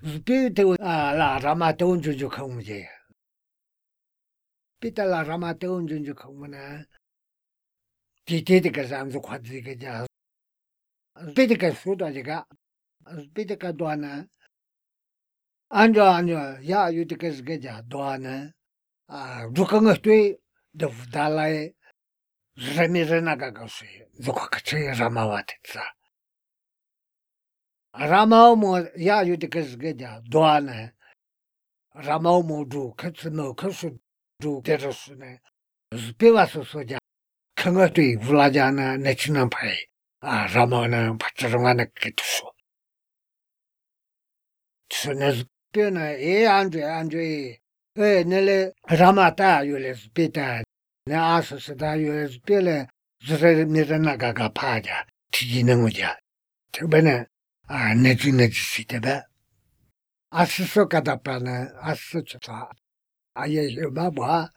Spiritu la rama teun junju không gì. Pita la rama teun junju không na. Chỉ cái giảm số khoát gì cái giá. Pita cái số đó gì cả. Pita cái đó na. Anjo ya yu cái giá đó na. Rukang tuy được đa lại. Remi rena cái cái gì. Rukang cái gì rama vát sa. Rama mo ya yu cái giá đó na. Rama mo du cái sự du terus na. Spivasu soja. Kanga tui vulajana nechina pai. Ramana pacharangana ketuso. Sunas pena Andre. Nele ramata yules pita. Ne asas da yules pele. Zre mirana gaga paja. Tijinanguja. Tebene. Nechina jisitebe. Asiso kadapana. Asiso chata. Aye babwa.